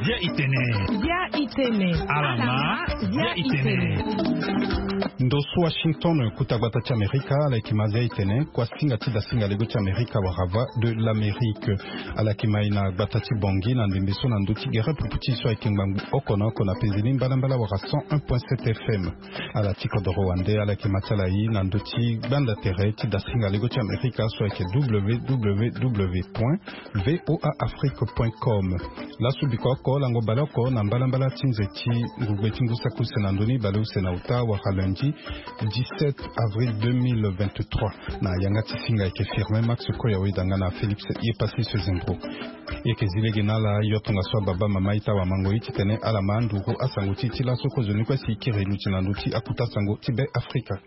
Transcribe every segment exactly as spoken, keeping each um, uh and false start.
Bia itene. Bia itene. Alama. Bia itene. Ndo so Washington, kuta gbata ti Amerika, ala yeke ma Bia itene, kuasinga ti dasinga lego ti Amerika wala Voix de l'Amérique. Ala yeke ma e na gbata ti Bangui na ndembe so na ndö ti gere pupu ti e so ayeke ngbangbu oko na oko na penze ni mbalambala wala cent un point sept F M. Ala ti kodoro wande, ala yeke ma ti ala e na ndö ti gbanda tere ti dasinga lego ti Amerika so ayeke www point voa afrique point com. Laso biko oko lango baleoko na mbalambala ti nze ti ngugbe ti ngu saki use na ndö ni baleuse na uta wala lundi dix-sept avril deux mille vingt-trois. Na yanga ti singa ayeke Firmin Max Koya, weda nga na Félix Yepassis Zembro. E yeke zi lege na ala yo tongaso ababa mama ita wamango ye titene ala ma anduru asango ti e ti laso kozoni kue si e kiri luti na ndö ti akuta sango ti Be Afrika.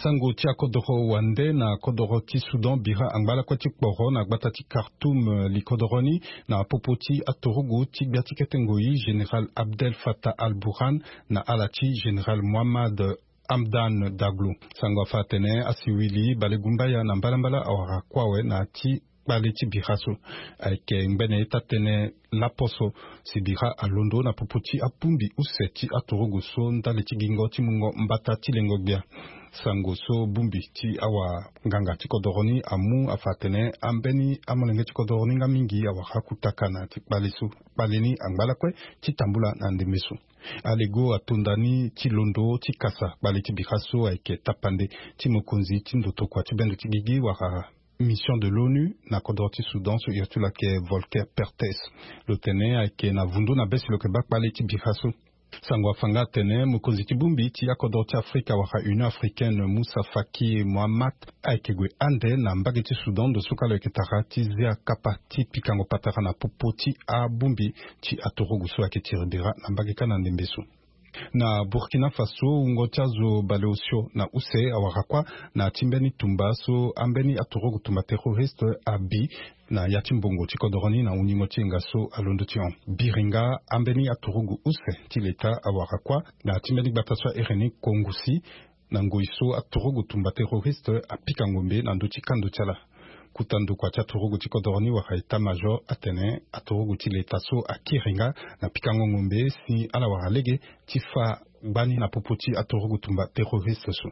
Sango ti akodoro wande na kodoro ti Soudan bira angba lakue ti kporo na gbata ti Khartoum, eh, li kodoro ni na popo ti aturugu ti gbia ti kete ngoi Général Abdel Fattah al-Burhan na ala ti Général Mohammad Hamdan Daglo. Sango afa atene asiwili balegumbaya na mbalambala awara kue awe na ti kpale ti bira so. Ayeke ngbene ita tënë lapo so si bira alondo na popo ti abongbi use ti aturugu so ndali ti gingo ti mungo mbata ti lengo gbia. Sango so bongbi ti awanganga ti kodoro ni amu afa atene ambeni amolenge ti kodoro ni nga mingi awara akutaka na ti kpale so. Kpale ni angba lakue ti tambula na ndembe so. Alego atonda ni ti londo ti kasa kpale ti bira so ayeke tapande ti mokonzi ti ndotokua ti bendo ti gigi wala mission de l'ONU na kodro ti Soudan so iri ti lo ayeke Volker Perthes. Lo tene ayeke na vundu na be si lo yeke baa kpale ti bira so. Sango afa nga atene mokonzi ti bongbi ti akodro ti Afrika wala Union Africaine, Moussa Faki Mohamat, ayeke gue ande na mbage ti Soudan ndo so kâ lo yeke tara ti zia kapa ti pikango patara na popo ti abongbi ti aturugu so ayeke tiri bira na mbage kâ na ndembe so. Na Burkina Faso, wungo ti azo baleosio na use awara kuâ na ti mbeni tumba so ambeni aturugu tumba terroriste abi na ya ti mbongo ti kodoro ni na hungingo ti yenga so alondo ti hon. Biri nga ambeni aturugu use ti leta awara kuâ na ti mbeni gbata so airi ni Kongusi, na ngoi so aturugu tumba terroriste apika ngombe na ndö ti kando ti ala. Kota ndokua ti aturugu ti kodoro ni wala état-major atene aturugu ti leta so akiri nga na pikango ngombe si ala wara lege ti fâ gbani na popo ti aturugu tumba terroriste so.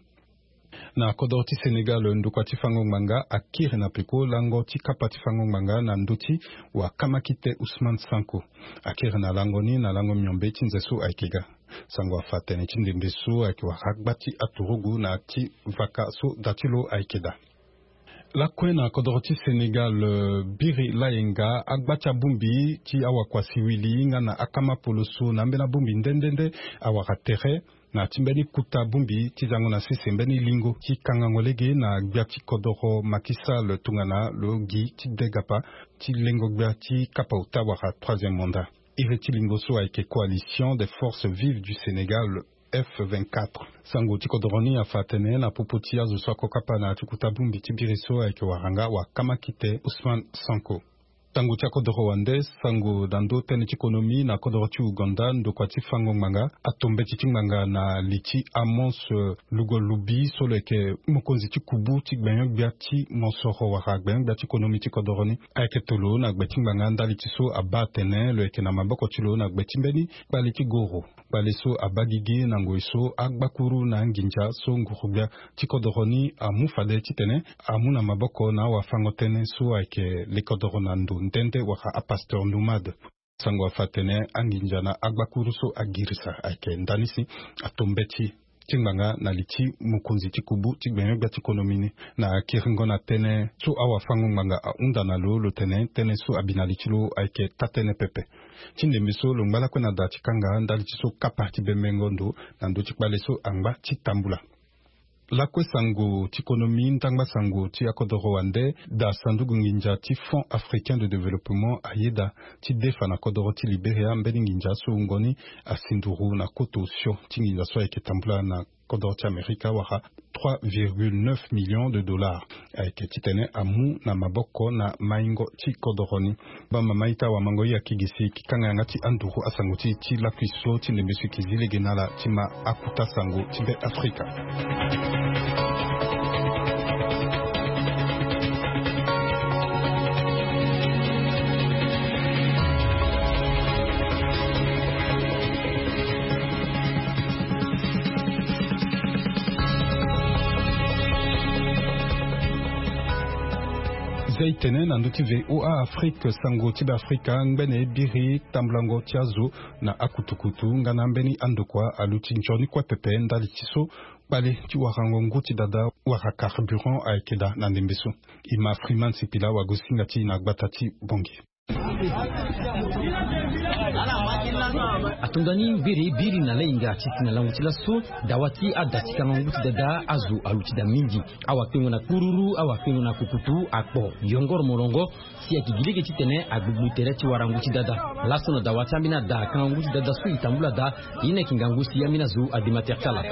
Na kodoro ti Sénégal, ndokua ti fango ngbanga akiri na peko lango ti kapa ti fango ngbanga na ndö ti wakamakite Ousmane Sonko. Akiri na lango ni na lango miombe ti nze so ayeke ga. Sango afa tene ti ndembe so ayeke wara agba ti aturugu na ti vaka so da ti lo ayeke daa. Lakue na kodoro ti Sénégal, eh, biri layenga agba ti abongbi ti awakua siwili nga na akama poloso na ambeni abongbi nde nde nde awara tere na ti mbeni kota bongbi ti zango na sese mbeni lingo ti kangango lege na gbia ti kodoro Macky Sall tongana lo gi ti degapa ti lengo gbia ti kapa ota wala troisième mandat. Iri ti lingo so ayeke Coalition des Forces Vives du Sénégal, F vingt-quatre. Sango ti kodoro ni afa atene na popo ti azo so ako kapa na ya ti kota bongbi ti biri so ayeke wara nga wakamakite Ousmane Sonko. Sango ti akodoro wande, sango na ndö tënë ti konomi na kodoro ti Ouganda, ndokua ti fango ngbanga ato mbeti ti ngbanga na li ti Amos, eh, Lugolubi so lo yeke mokonzi ti kubu ti gbenyo-gbia ti mosoro wala gbenyo-gbia ti konomi ti kodoro ni. Ayeke tolo na gbe ti ngbanga ndali ti so abaa atene lo yeke na maboko ti lo na gbe ti mbeni kpale ti goro. Kpale so abaa gigi na ngoi so agbakuru na anginza so nguru-gbia ti kodoro ni amu fade titene amu na maboko na awafango-tënë so ayeke lekodoro na ndo nde nde wala apasteur nomade. Sango afa atene anginza na agbakuru so agirisa ayeke nda ni si ato mbeti ti ngbanga na li ti mokonzi ti kubu ti gbenyo-gbia ti konomi ni. Na kiringo na tënë so awafango ngbanga ahunda na lo, lo tene tënë so abi na li ti lo ayeke taa-tënë pepe. Ti ndembe so lo ngba lakue na da ti kanga ndali ti so kapa ti bembengo ndo na ndö ti kpale so angba ti tambula. Lakue sango ti konomi, ndangba sango ti akodoro wande, da sanduku nginza ti Fonds Africain de Développement ayeda ti defa na kodoro ti Liberia mbeni nginza so wungo ni asi nduru na koto osio ti nginza so ayeke tambula na kodoro ti Amerika wala trois virgule neuf millions de dollars. Ayeke titene amu na maboko na maingo ti kodoro ni. Bamama ita wamango i akigisi ki kanga yanga ti anduru asango ti, ti lakui so ti ndembe so e ki zi lege na ala ti ma akuta sango ti Be Afrika. Zia e tene na ndö ti VOA Afrique, sango ti Beafrika ngbene e biri tambulango ti azo na akutukutu nga na ambeni andokua aluti nzoni kue pepe ndali ti so kpale ti warango ngu ti dada wala carburant ayeke daa na ndembe so. E ma Freeman Sipila wagosinga ti e na gbata ti Bangui. Atongani mbiri biri na lahinga ti si na lango ti laso. Dawa ti ada ti kangangu ti dada azo aluti daa mingi. Awakpengo na kururu, awakpengo na kukutu akpo yongoro molongo. Si ayeke gi lege titene agbugbu tere ti warangu ti dada. Laso na dawa ti ambeni ada kangangu ti dada so e tambula daa. Ye ni ayeke ngangu si ambeni azo ade ma tere ti ala.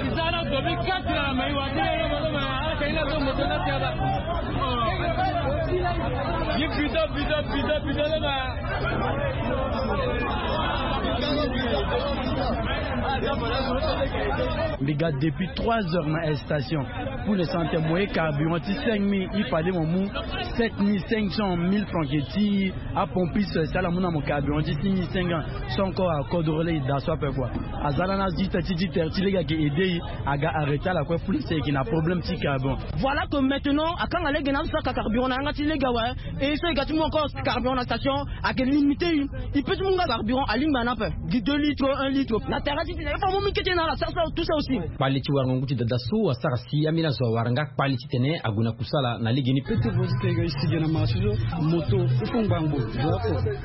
Mbi ga depuis trois heures na station. Pour le santé mo ye carburant ti cinq mille, il fallait mo mu sept mille cinq cents, mille francs ke ti apompiste, si ala mu na mo carburant ti six mille cinq cents. Son corps akodro lege daa so ape kua. Aza lani azi ita ti ti tere ti lege ayeke aide e. Aga arrêté ala kue, plus e yeke na problème ti carburant. Voilà que maintenant akanga lege na azo so aka carburant na yanga ti lege awe. Et so e ga ti mu encore carburant na station, ayeke limité e. E peut ti mu nga carburant alingbi ana ape. Gi deux litres, un litre na tere ti tene il faut amu mingi kete na ala, ça, ça, tout ça aussi. Kpale ti warango ngu ti dada so asara si ambeni azo awara nga kpale titene ague na kusala na legeni. Pete vozi te ga e si ge na marché so. Moto il faut ngbangbo.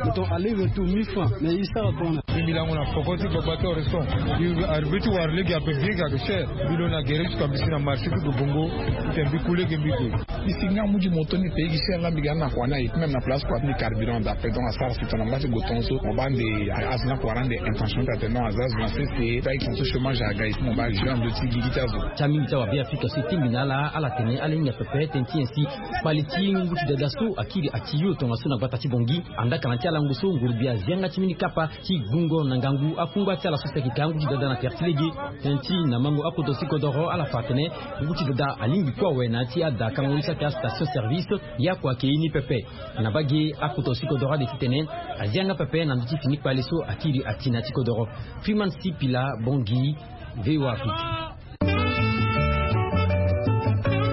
Moto aller retour mille francs. Mais e sara kua na mbi lango na poko ti gbagba ti horizon. Mbi arrivé ti wara lege ape bien ga cher. Mbi lo na gere jusqu'à mbi si na marché ti Bongo. Titene mbi ku lege mbi gue. Mbi si nga mu ti moto ni pays gi cher nga mbi ga na kua ni aye. Même na place kua ti mbi carburant daa ape, donc asara si tongana mba ti gue tongaso mo baa nde azo ni akua wara ande intention ti atene non aza azo na sese. Taille tongaso chômage aga e si mo baa jeu na ndö ti gigi ti azo. Ti amingi ti awabe afrika so e tingbi na ala, ala tene ala hinga pepe tënë ti nyen si kpale ti ngu ti dada so akiri ati yo tongaso na gbata ti Bongi. Andaka na ti alango so ngurugbia azi yanga ti mbeni kapa ti gungo na ngangu akungba ti ala so si ayeke ka ngu ti dada na tere ti lege. Tënë ti na mango akodro ti kodoro ala fa atene ngu ti dada alingbi kue awe na ya ti ada kango ni so ayeke astation service. Ye akua ayeke ye ni pepe. Na mbage akodro ti kodoro ade titene azi yanga pepe na ndö ti fini kpale so akiri ati na ya ti kodoro. Freeman Sipila, Bongi, VOA Afrique.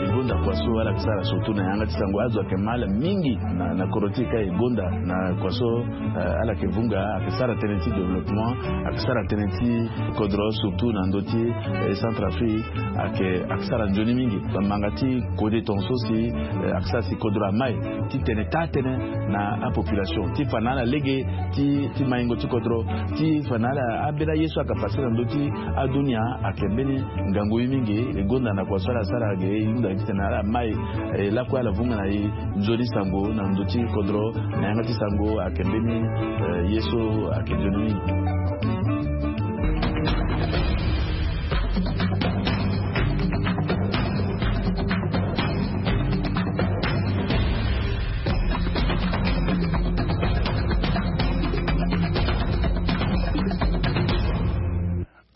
E gonda kua so ala yeke sara surtout na yanga ti sango azo ayeke ma ala mingi na, na kodro ti e ka e gonda na kua so, eh, ala yeke vunga, ayeke sara tënë ti développement, ayeke sara tënë ti kodro surtout na ndö ti, eh, Centrafrique, ayeke, ayeke sara nzoni mingi. Bamanga ti kode tongaso si, eh, ayeke sara si kodro amai titene taa tënë na apopulation ti fa na ala lege ti, ti maingo ti kodro, ti fa na ala ambeni aye so ayeke passe na ndö ti adunia. Ayeke mbeni ngangu ye mingi. E gonda na kua so ala sara ge e hunda titene ala mai, eh, lakue ala vunga na e nzoni sango na ndö ti kodro na yanga ti sango ayeke mbeni, eh, ye so ayeke nzoni mingi.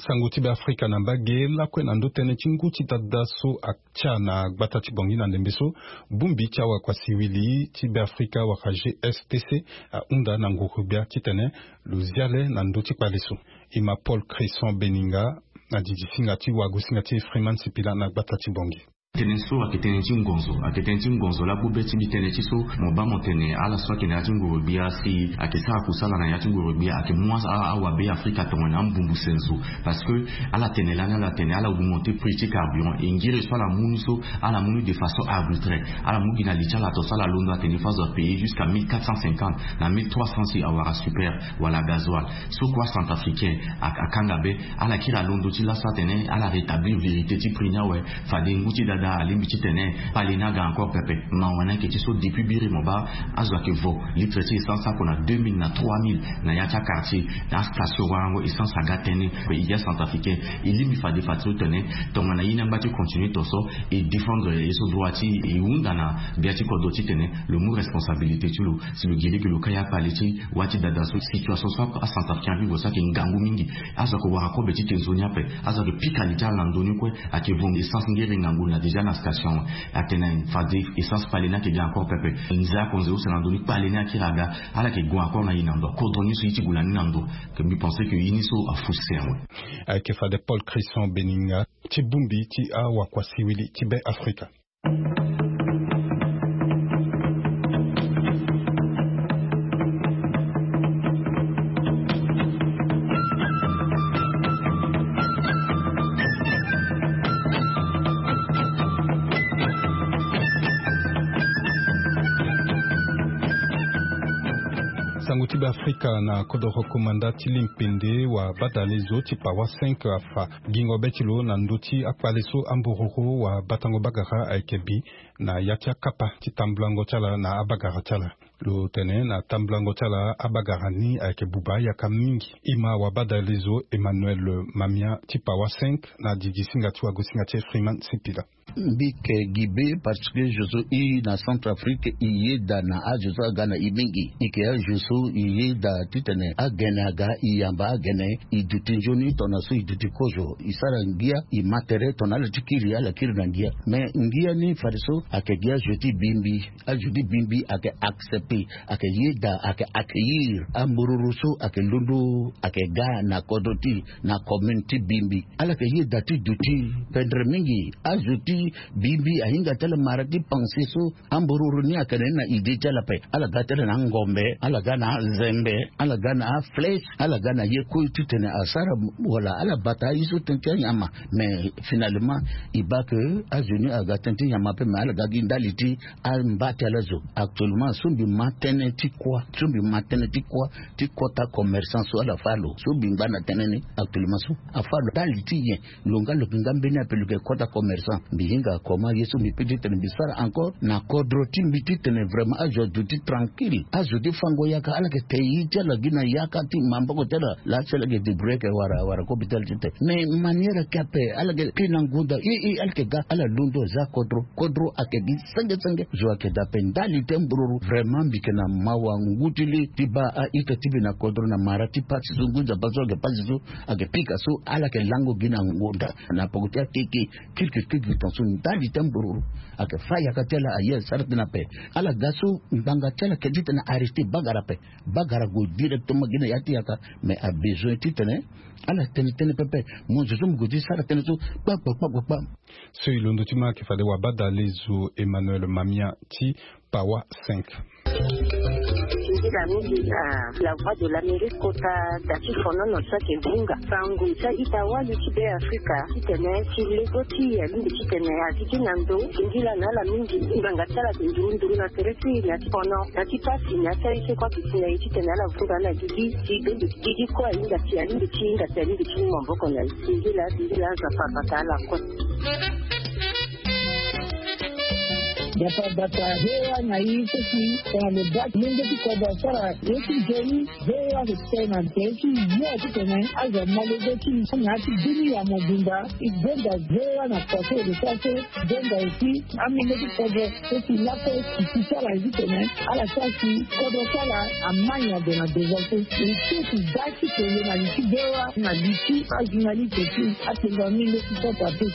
Sango ti Beafrika na mbage lakue na ndö tënë ti ngu ti dada so atia na gbata ti Bongi na ndembe so. Bongbi ti awakua siwili ti Beafrika wala G S T C ahunda na nguru-gbia titene lo zia le na ndö ti kpale so. E ma Paul Crisson Beninga na didi singa ti wagosinga ti Freeman Sipila na gbata ti Bongi. Tënë so ayeke tënë ti ngonzo, ayeke tënë ti ngonzo lakue be ti mbi tënë ti so mo baa mo tene ala so ayeke na ya ti nguru-gbia si ayeke sara kusala na ya ti nguru-gbia ayeke mu a, awabe afrika tongana ambumbu senzo. Parce que ala tene lani, ala tene ala augmenter prix ti carburant, e ngiri so ala mu ni so ala mu ni de façon arbitraire. Ala mu gi na li ti ala tongaso ala londo atene fo azo apayer jusqu'à mille quatre cent cinquante na mille trois cents si awara super wala gasoil. So kue acentrafricain akanga be. Ala kiri alondo ti laso atene ala rétablir vérité ti prix ni awe. Fade ngu ti dada alingbi titene kpale ni aga encore pepe. Mawa ni ayeke ti so depuis biri mo baa azo ayeke vo litre ti essence oko na deux mille na trois mille na ya ti aquartier. Na astation warango essence aga tënë. E gi acentrafricain e lingbi fade fade so tene tongana ye ni angba ti continuer tongaso e défendre ye so droit ti e. E hunda na gbia ti kodro titene lo mu responsabilité ti lo si lo gi lege lo kai akpale ti wâ ti dada so. Situation so acentrafricain avivo so ayeke ngangu mingi. Azo ayeke wara kobe ti te nzoni ape. Azo ayeke pika li ti ala na ndö ni kue. Ayeke vo essence ngere ngangu na déjà na station. Atene fade essence kpale ni ayeke ga encore pepe. Nze akonze use na ndö ni kpale ni akiri aga. Ala yeke gue encore na e na ndo akodro ni so ye ti gue na ni na ndo. Ke mbi pense ke ye ni so afu se awe. Ayeke fade Paul Crisson Beninga ti bongbi ti awakua siwili ti Be Afrika. Sango ti Beafrika na kodoro komanda ti limpende wa badalezo ti pawa cinq afa gingo be ti lo na ndö ti akpale so ambororo wa batango bagara ayeke bi na ya ti akapa ti tambulango ti ala na abagara ti ala. Lo tene na tambulango ti ala abagara ni ayeke buba yaka mingi. Ima wa badalezo Emmanuel Mamia ti pawa cinq na didi singa ti wagosinga ti Freeman Sipila. Mbi ke gi be parce que zo so i na Centrafrique i yeda na azo so aga na i mingi. I ke azo so i yeda titene agene aga i yamba agene i duti nzoni tongana so i duti kozo i sara ngia i ma tere tongana ala ti kiri ala kiri na ngia. Mais ngia ni fadeso ayeke gi azo ti bimbi. Azo ti bimbi ayeke accepter, ayeke yeda, ayeke accueillir ambororo so ayeke londo ayeke ga na kodro ti na commune ti bimbi. Ala yeke yeda ti duti pendre mingi. Azo ti bimbi ahinga ti ala mara ti panse so ambororo ni ayeke na ni na idée ti ala ape. Ala ga ti ala na angombe, ala ga na azembe, ala ga na aflèche, ala ga na ye kue titene asara wala ala bata aye so tënë ti anyama. Mais finalement i baa ke azo ni aga tënë ti nyama ape mais ala ga gi ndali ti amba ti ala zo. Actuellement so mbi ma tënë ti kuâ so mbi ma tënë ti kuâ ti kota commerçant so ala fâ lo so mbi ngba na tënë ni actuellement so afâ lo ndali ti nyen? Lo nga lo yeke nga mbeni ape lo yeke kota commerçant. Mbi hinga comment ye so mbi pe titene mbi sara encore na kodro ti mbi titene vraiment azo aduti tranquille azo ti fango yaka ala yeke te ye ti ala gi na yaka ti maboko ti ala laa si ala yeke débrouiller ayeke wara wara kobe ti ala titene mais manière ayeke ape ala yeke kpe na ngonda e e ala yeke ga ala londo aza kodro. Kodro ayeke gi senge senge zo ayeke daa ape ndali ti ambororo. Vraiment mbi yeke na mawa ngu ti le ti baa a-ita ti mbi na kodro na mara ti pasi so ngu nzapa so ayeke pasi so ayeke pika so ala yeke lango gi na ngonda na poko ti akeke. Kirikiri kirikiri tongaso ndali ti ambororo ayeke fâ yaka ti ala aye asara tënë ape. Ala ga so ngbanga ti ala yeke titene arrêter bagara ape. Bagara ague directement gi na ya ti yaka mais abezoin titene ala tene tënë pepe. Mo zo so mo gue ti sara tënë so kpakpa kpakpa kpa. So e londo ti ma ayeke fade wabadale zo Emmanuel Mamia ti pawa cinq. Nzila mingi na la voix de l'Amérique kota da ti fonono so ayeke vunga sango ti a-ita wali ti Beafrika titene ti lego ti e alingbi titene azi ti na ndo singila na ala mingi. Ngbanga ti ala ayeke nduru nduru na tere ti e na ti fono na ti pasi na ya ti aye so kue ayeke si na e titene ala vunga ala gigi ti bembe gigi kue ahinga si alingbi ti hinga si alingbi ti mu maboko na e. Singila singila Nzapa abata ala kue. Nzapa abata V O A na e so si tongana lo baa molenge ti kodro asara ye ti nzoni. V O A ayeke tene na tere ti yo titene azo amolenge ti na ya ti bini ya mobimba. E gonda V O A na kua so e lo sara so. Gonda aussi amolenge ti kodro so si lakue si ti sara ye titene ala sara si kodro ti ala ama nyen ade na devant so. E so si da ti tene na li ti V O A na li ti ajournaliste ti atengo amolenge ti kodro ape.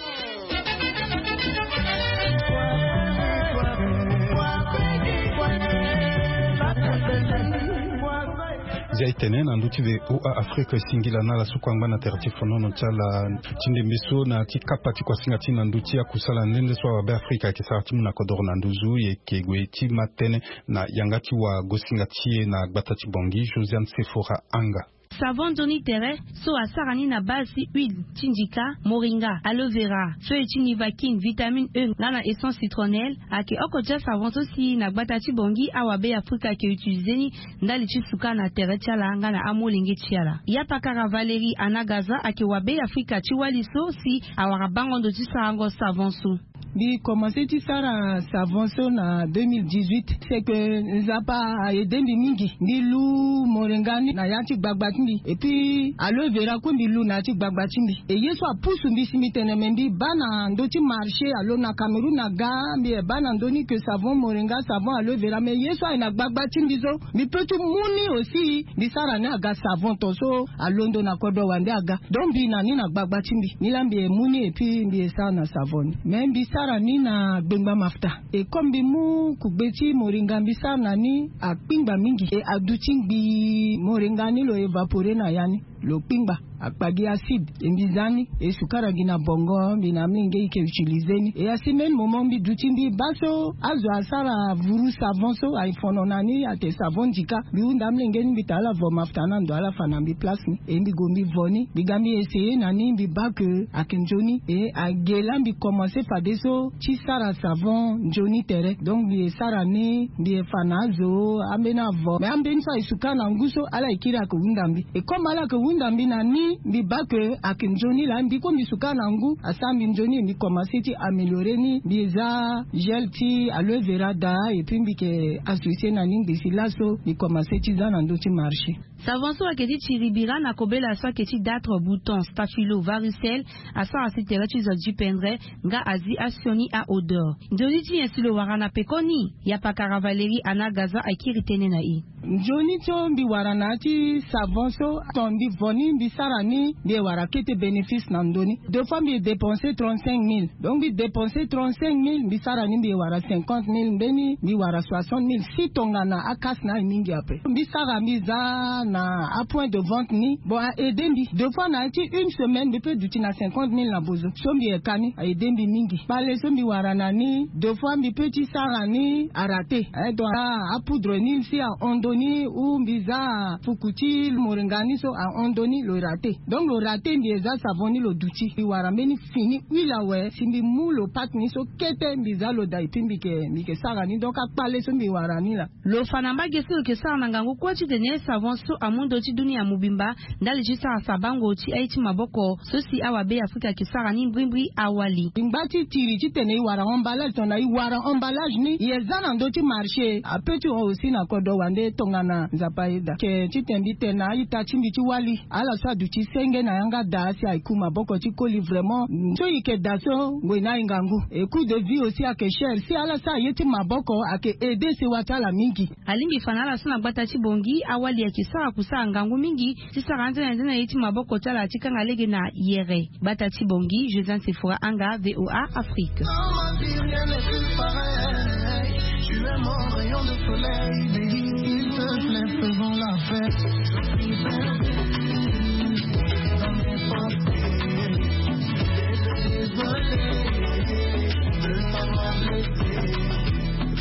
Zia e tene na ndö ti V O A Afrique singila na ala so kue angba na tere ti fonono ti ala ti ndembe so na ya ti kapa ti kuasinga ti e na ndö ti akusala nde nde so awabe Afrika ayeke sara ti mu na kodoro na nduzu e yeke gue ti ma tënë na yanga ti wagosinga ti e na gbata ti Bangui Josiane Sephora Anga. Savon nzoni tere so asara ni na base ti huile ti ndika, moringa, aloe vera, feuille ti nivaquine, vitamine E nga na essence citronnelle ayeke oko ti asavon so si na gbata ti Bangui awabe Afrika ayeke utilize ni ndali ti suka na tere ti ala nga na amolenge ti ala. Ya pakara Valérie Anagaza ayeke wabe Afrika ti wali so si awara bango ndo ti sarango savon so. Mbi commencé ti sara savon so na deux mille dix-huit. C'est que Nzapa a aidé mbi mingi. Mbi lu moringa ni na ya ti gbagba ti mbi. Et puis aloe vera kue mbi lu na ya ti gbagba ti mbi. Et ye so apusu mbi si mbi tene me mbi baa na ndö ti marché alo na Cameroun aga mbi e baa na ndö ni que savon moringa, savon aloe vera. Mais ye so aye na gbagba ti mbi so mbi peut ti mu ni aussi. Mbi sara ni aga savon tongaso alondo na kodro wande aga. Donc mbi na ni na gbagba ti mbi ni laa mbi e mu ni et puis mbi e sara na savon ni. Mais mbi sara ni na gbengba mafuta. Et comme mbi mu kugbe ti moringa mbi sara na ni akpingba mingi et aduti ngbii moringa ni lo évapore na ya ni. lo kpingba akpa gi acide e mbi za ni e sukara gi na bongo mbi na amenge e ke utilize ni e asi même moment mbi duti mbi baa so azo asara vuru savon so aye fono na ni ate savon ndika mbi hunda amenge ni mbi tala vo mafuta na ndo ala fa na mbi place ni e mbi go mbi vo ni mbi ga mbi essayer na ni mbi baa ke ayeke nzoni e age laa mbi commencer fadeso ti sara savon nzoni tere donc mbi ye sara ni mbi ye fa na azo ambeni avo mais ambeni so aye suka na ngu so ala ye kiri ayeke hunda mbi e comme ala yeke hunda mbi na ni mbi baa ke ayeke nzoni laa mbi kue mbi suka na ngu asara mbi nzoni e mbi commencer ti améliorer ni mbi ye za gel ti aloe vera daa et puis mbi yeke associer na ni ngbisi laso mbi commencer ti za na ndö ti marché. Savon so ayeke ti tiri bira na kobela so ayeke ti datre bouton staphylo varicelle asara si tere ti zo ti pendre nga azi asioni aodeur. Nzoni ti nyen si lo wara na pekoni? Yapakara valérie ana gaza akiri tënë na e. Nzoni so mbi wara na ya ti savon so ton mbi vo ni mbi sara ni mbi ye wara kete bénéfice na ndö ni deux fois mbi ye dépenser trente-cinq mille donc mbi dépenser trente-cinq mille mbi sara ni mbi ye wara cinquante mille mbeni mbi wara soixante mille si tongana akasi na aye mingi ape mbi sara mbi za na apoint de vente ni bon a aider mbi deux fois na ya ti une semaine mbi peut duti na cinquante mille na bozo so mbi ye ka ni a aider mbi mingi kpale so mbi wara na ni deux fois mbi peut ti sara ni arate donc apoudre ni si ahon ndö ni ou mbi za fuku ti moringa ni so ahon ndö ni lo rate donc lo rate mbi ye za savon ni lo duti mbi wara mbeni fini huile awe si mbi mu lo pate ni so kete mbi za lo da et puis mbi yeke mbi yeke sara ni donc akpale so mbi wara ni laa. Lo fa na mbage so lo yeke sara na ngangu kue titene savon so amu ndö ti dunia mobimba ndali ti sara sabango ti aye ti maboko so si awabe afrika yeke sara ni mbrimbri awali. Ngba ti tiri titene e wara emballage tongana e wara emballage ni e za na ndö ti marché ape ti hon aussi na kodro wande tongana nzapa ayeda ke titene mbi tene na a-ita ti mbi ti wali ala so aduti senge na yanga daa si aye ku maboko ti koli vraiment so e yeke daa so ngoi ni aye ngangu e coût de vie aussi ayeke cher si ala so aye ti maboko ayeke aider sewa ti ala mingi. Alingbi fa na ala so na gbata ti bongi awali ayeke sara kusara ngangu mingi ti sara anzene anzene aye ti maboko ti ala ti kanga lege na yere. Gbata ti bongi josiane sefora anga voa afrique.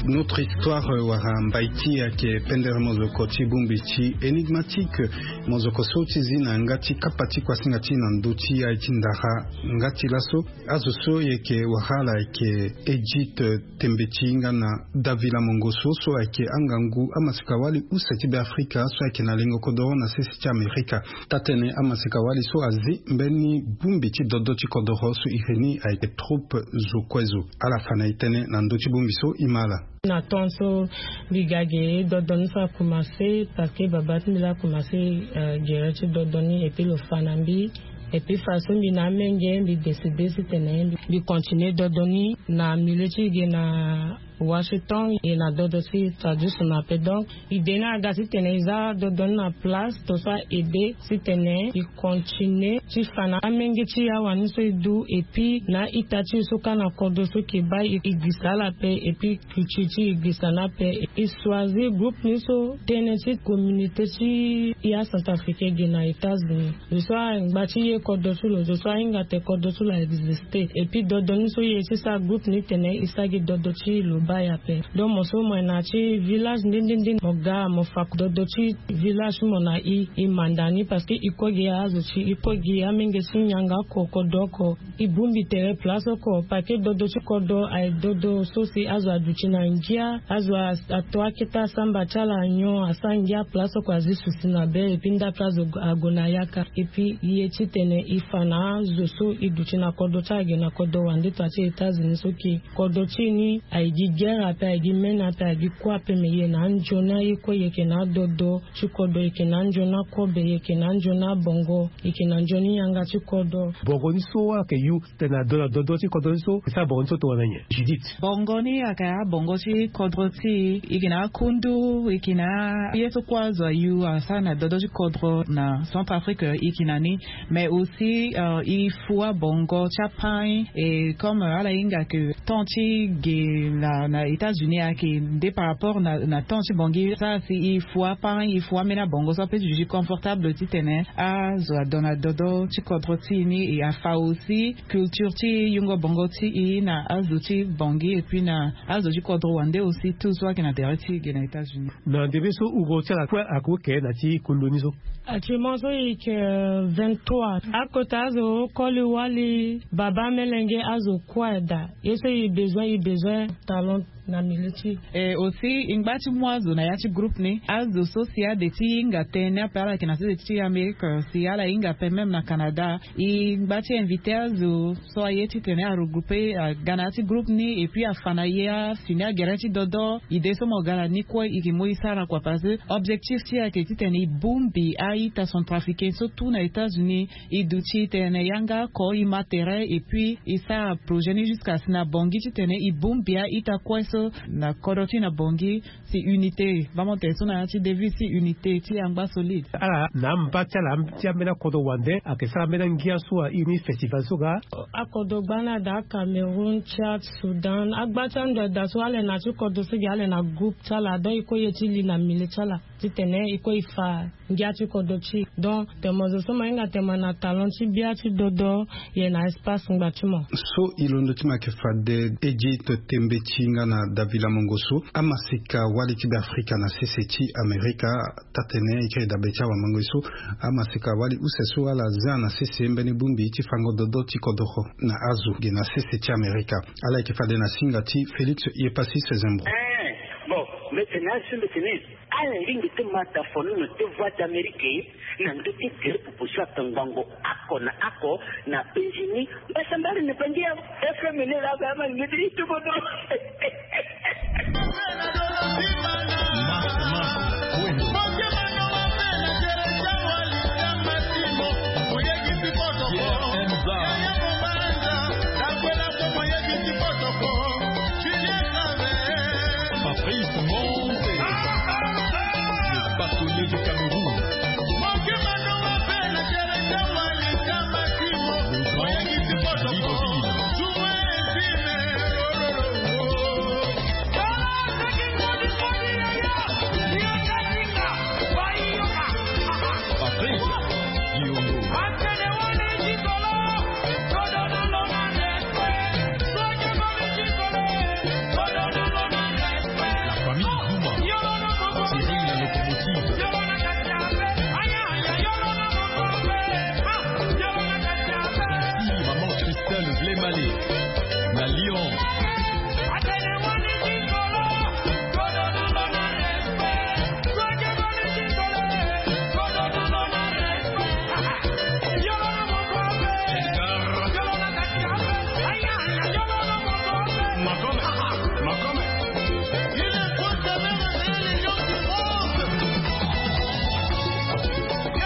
Notre histoire wara mbai ti e ayeke pendere mozoko ti bongbi ti énigmatique. Mozoko so ti zi na yanga ti kapa ti kuasinga ti e na ndö ti aye ti ndara. Nga ti laso azo so e yeke wara ala ayeke edite tembe ti hinga na davila mongo so so ayeke angangu amasika-wali use ti be afrika so ayeke na lengo kodoro na sese ti amerika. Taa-tënë amasika-wali so azi mbeni bongbi ti dodo ti kodoro so iri ni ayeke troupe zo kue zo. Ala fa na e tënë na ndö ti bongbi so e ma ala. Na temps so mbi ga ge dodo ni so akomanse parce que babâ ti mbi laa akomanse gere ti dodo ni et puis lo fa na mbi. Et puis façon mbi na amenge mbi décide titene mbi continue dodo ni na milieu ti ge na washington e na dodo ti traduction ape donc idée ni aga titene e za dodo ni na place to so a aide titene e continue ti fa na amenge ti e awani so e du et puis na a-ita ti e so kâ na kodro so e ke baa e gbisa ala ape et puis culture ti e gbisa ni ape. E choisir groupe ni so tënë ti communauté ti e acentrafricain e ge na états-unis. Zo so angba ti ye kodro ti lo zo so ahinga ate kodro ti lo a existe et puis dodo ni so e ye ti sara groupe ni tene e sara gi dodo ti lo baa e ape. Donc mo so mo yeke na ya ti village nde nde nde mo ga mo fa dodo ti village ti mo na e e manda ni parce que e kue gi azo ti e kue gi amenge ti nyanga oko kodro oko. E bongbi tere place oko parce que dodo ti kodro aye dodo so si azo aduti na ngia azo ato akete asamba ti ala nyon asara ngia place oko azi susi na be et puis ndape azo ague na yaka. Et puis e ye titene e fa na azo so e duti na kodro ti ala ge na kodro wande to ya ti états-unis so ke kodro ti e ni aye gi guerre ape aye gi mene ape aye gi kue ape me e ye na anzoni aye kue e yeke na adodo ti kodro e yeke na anzoni akobe e yeke na anzoni abongo e yeke na nzoni yanga ti kodro. Bongo ni so ayeke yu tene ado na dodo ti kodro ni so e sara bongo ni so tongana nyen judith? Bongo ni ayeke abongo ti kodro ti e e yeke na akundu e yeke na aye so kue azo ayu asara na dodo ti kodro na centrafrique e yeke na ni. Mais aussi e fu abongo ti apain e comme ala hinga ke temps ti ge na Na États-Unis ayeke nde par rapport na temps ti bongi sara si e fu aparent e fu ambeni abongo so ape ti duti confortable titene azo adon na dodo ti kodro ti e ni e afa aussi culture ti yungo bongo ti e na azo ti bongi et puis na azo ti kodro wande aussi tout so ayeke na tere ti e ge na États-Unis. Na ndembe so uro ti ala kue ako ke na ti kolo ni so. Actuellement so e yeke vingt-trois akota azo koli wali baba melenge azo kue daa. Ye so e besoin e besoin talent na milieu ti e aussi e ngba ti mu azo na ya ti groupe ni azo so si ade ti hinga tënë ape ala yeke na sese ti Amérique si ala hinga ape même na Canada. E ngba ti invité azo so aye titene aregroupe aga na ya ti groupe ni et puis afa na ye afini agere ti dodo ide so mo ga na ni kue e ke mu e sara kua parce que objectif ti e ayeke titene e bongbi a-ita centrafricain so tout na États-Unis. E duti tene yanga oko e ma tere et puis e sara projet ni jusqu'à si na bongi titene e bongbi a-ita kue so na kodro ti na bongi. Si unité bamo tene so na ya ti devise ti unité ti angba solide. Ala na amba ti ala ti ambeni akodro wande ayeke sara ambeni angia so airi ni festival so ga. Akodro gba ni ada Cameroun, Tchad, Soudan, agba ti ando ada so ala na ti kodro so gi ala na groupe ti ala donc e kue ye ti li na milieu ti ala titene e kue e fa ngia ti kodro ti e. Donc tene mo zo so mo hinga tene mo na talent ti bia ti dodo. Ye na espace ngba ti mo. So e londo ti mo ayeke fade ejito tembe ti nga na davila mongo so amasika wali ti be afrika na sese ti amerika. Taa-tene e kiri dabe ti awamango ye so amasika wali use so ala zia na sese mbeni bongbi ti fango dodo ti kodoro na azo ge na sese ti amerika. Ala yeke fade na singa ti félix yepassis zembro. Bon, mete na asu mete ni. Ala lingbi ti mata fonono ti voie d'amérique na ndö ti gere pupu so atongbango ako na ako na penzi ni. Mbasambari na bangi ya fm ni laa ba ama lingbi ti tubodo. Fabrice Monte, le bâtonnier du Cameroun. Le grand Libreville. Patrick Diongo. La famille Zuma. Cyril la locomotive. Ici, maman Christelle Vlemale. La Lyon.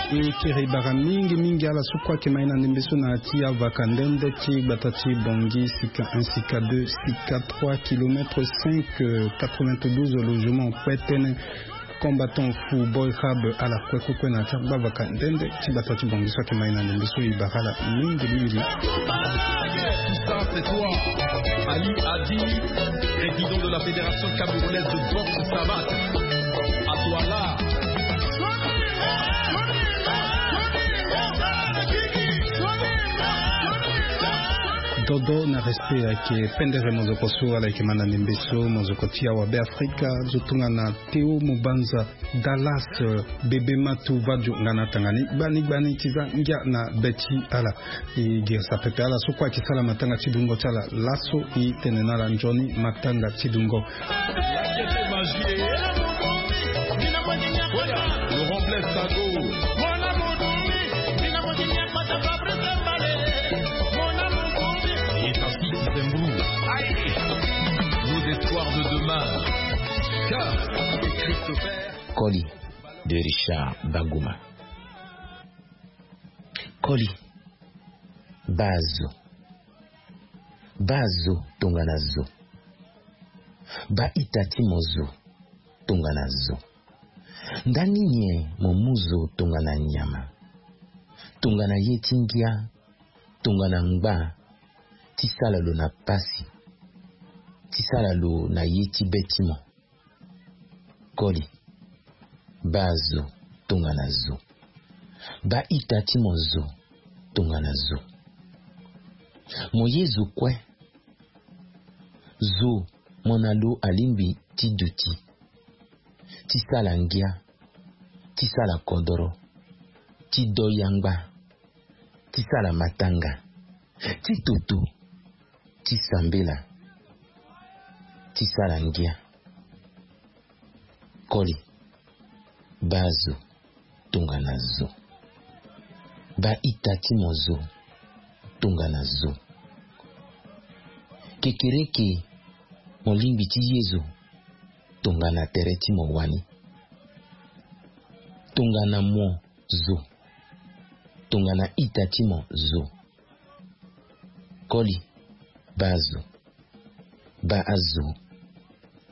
E kiri bara mingi mingi ala so kue ayeke mai na ndembe so na ya ti avaka nde nde ti gbata ti bongi sika un sika deux sika trois kilomètre cinq, quatre-vingt-douze logement kue tënë. Combattant fu boy rab ala kue kue kue na ya ti agbavaka nde nde ti gbata ti bongi so ayeke mai na ndembe so e bara ala mingi mingi. Tout ça, c'est toi. Ali Adi, président de la Fédération camerounaise de boxe savate. À toi là. Dodo na respect ayeke pendere mozoko so ala yeke ma na ndembe so mozoko ti awa be afrika zo tongana théo mobanza, dallas, bébé matou vadio nga na atanga ni gbani gbani ti za ngia na be ti ala. E girisa pepe ala so kue ayeke sara matanga ti dungo ti ala laso e tene na ala nzoni matanga ti dungo. Laurent Blaise Sago. Nos espoirs de demain. Car Christopher. Koli de Richard Baguma. Koli. Baa zo. Baa zo tongana zo. Baa ita ti mo zo tongana zo. Ndani nyen mo mu zo tongana nyama, tongana ye ti ngia, tongana ngba ti sala lo na pasi, ti sara lo na ye ti be ti mo. Koli, baa zo tongana zo. Baa ita ti mo zo tongana zo. Mo ye zo kue. Zo mo na lo alingbi ti duti, ti sara ngia, ti sara kodoro, ti do yangba, ti sara matanga, ti toto, ti sambela, ti sara ngia. Koli, baa zo tongana zo. Baa ita ti mo zo tongana zo. Kekereke, mo lingbi ti ye zo tongana tere ti mo wani. Tongana mo zo, tongana ita ti mo zo. Koli, baa zo. Baa zo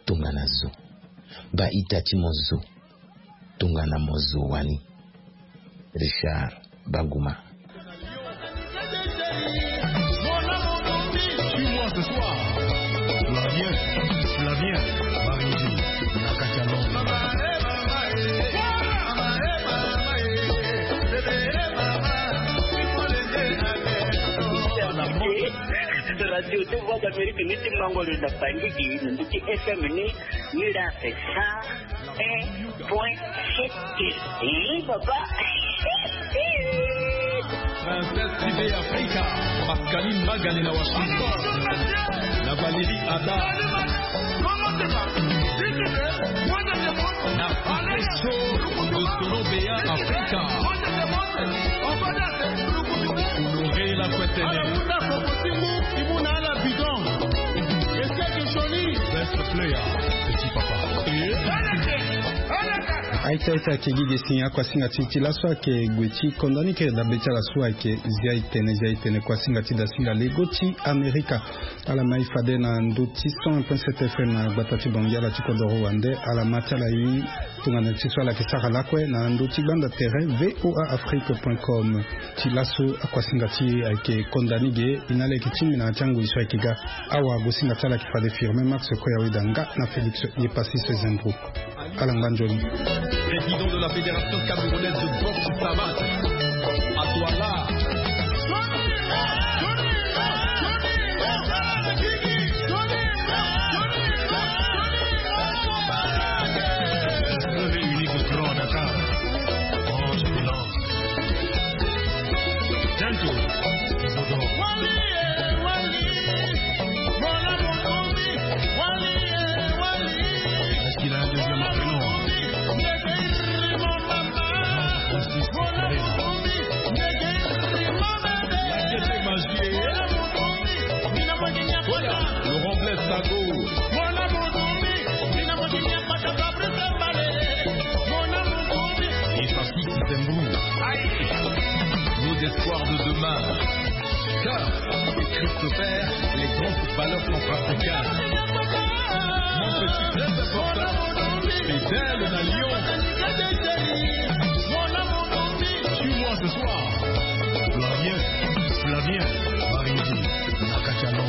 tongana zo. Baa ita ti mo zo tongana mo zo wani. Richard Baguma. Suis-moi ce soir. Flavien, Flavien, Baridi, Nakatiano. Radio de Voix d'Amérique, ni ti mango le na Bangui, ni ti F M ni, ni la c'est ça. Un point sept. Oui, papa. Princesse T V Africa, Pascaline Magane na Washington, na Valérie Ada. Na Show de Solo Bea Africa. Honoré la Kwetene. Best player, petit papa. Aita, aita, ayeke gi ge si akuasinga ti e ti laso ayeke gue ti konda ni kiri dabe ti ala so ayeke Zia e tene, Zia e tene, kuasinga ti dasinga lego ti Amerika. Ala ma e fade na ndö ti cent un point sept F M na gbata ti Bangui, ala ti kodoro wande, ala ma ti ala e tongana ti so ala yeke sara lakue na ndö ti gbanda tere V O A Afrique point com. Ti laso akuasinga ti e ayeke konda ni ge, e na ala yeke tingbi na ya ti angoi so ayeke ga. Awa gosinga ti ala ayeke fade Firmin Max Koyaweda nga na Félix Yepassis Zembro. Ala ngba nzoni. Président de la Fédération camerounaise de boxe savate, Atouala. Seul et unique grand Dakar. Ange Milan. Gentle. Est-ce qu'il a un deuxième prénom ? Francis Moreno. La Gaîté Magier. Laurent Blaise Sago. Et Patrick Zembou. Nos espoirs de demain. Cœur et Christopher, les grands footballeurs centrafricains. Mon petit frère de Porta, Fidèle na Lyon. Suis-moi ce soir. Flavien, Flavien, Baridi, Nakatiano.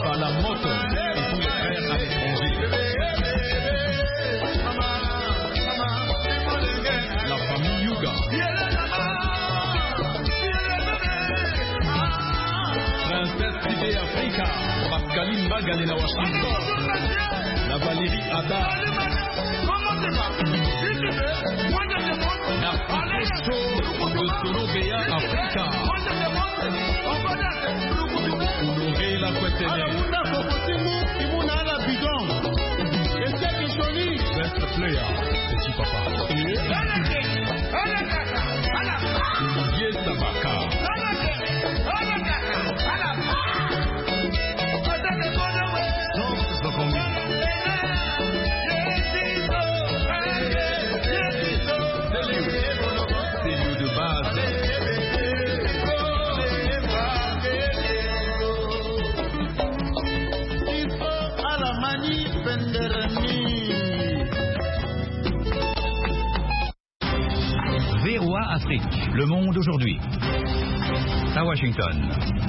Palamoto et tous les frères à l'étranger. La famille Yuga. Princesse T V Africa, Pascaline Bagale na Washington, na Valérie Ada. Na Paco Show de Solo Bea Africa. Honoré la Kwetene. Best player, petit papa. Olivier Sabaka. V O A Afrique, Le monde aujourd'hui. À Washington.